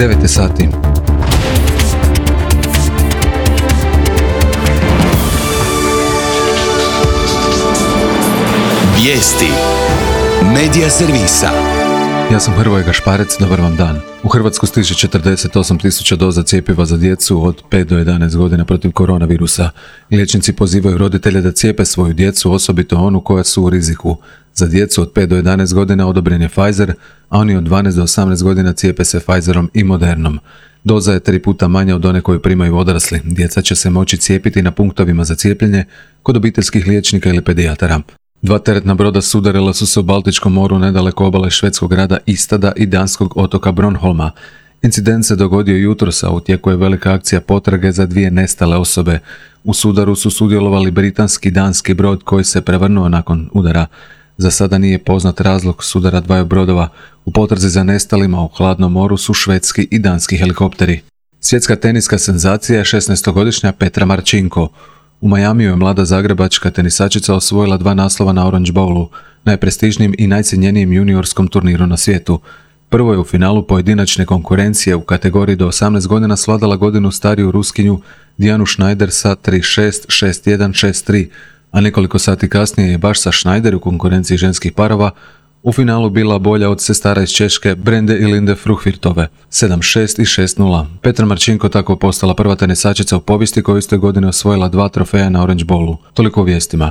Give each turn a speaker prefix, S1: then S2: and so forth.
S1: 9 sati.
S2: Vijesti Medija servisa.
S1: Ja sam Hrvoje Gašparec, dobar vam dan. U Hrvatsku stiže 48.000 doza cjepiva za djecu od 5 do 11 godina protiv koronavirusa. Liječnici pozivaju roditelje da cijepe svoju djecu, osobito onu koja su u riziku. Za djecu od 5 do 11 godina odobren je Pfizer, a oni od 12 do 18 godina cijepe se Pfizerom i Modernom. Doza je 3 puta manja od one koju primaju odrasli. Djeca će se moći cijepiti na punktovima za cijepljenje kod obiteljskih liječnika ili pedijatara. 2 teretna broda sudarila su se u Baltičkom moru nedaleko obale švedskog grada Istada i danskog otoka Bronholma. Incident se dogodio jutros, a u tijeku je velika akcija potrage za 2 nestale osobe. U sudaru su sudjelovali britanski i danski brod koji se prevrnuo nakon udara. Za sada nije poznat razlog sudara 2 brodova. U potrazi za nestalima u hladnom moru su švedski i danski helikopteri. Svjetska teniska senzacija je 16-godišnja Petra Marcinko. U Majamiju je mlada zagrebačka tenisačica osvojila 2 naslova na Orange Bowlu, najprestižnijem i najcjenjenijem juniorskom turniru na svijetu. Prvo je u finalu pojedinačne konkurencije u kategoriji do 18 godina svladala godinu stariju Ruskinju Dijanu Schneider sa 3-6, 6-1, 6-3, a nekoliko sati kasnije je baš sa Schneider u konkurenciji ženskih parova u finalu bila bolja od sestara iz Češke Brende i Linde Fruhvirtove 7-6 i 6-0. Petra Marcinko tako postala prva tenisačica u povijesti koja iste godine osvojila 2 trofeja na Orange Bowlu. Toliko o vijestima.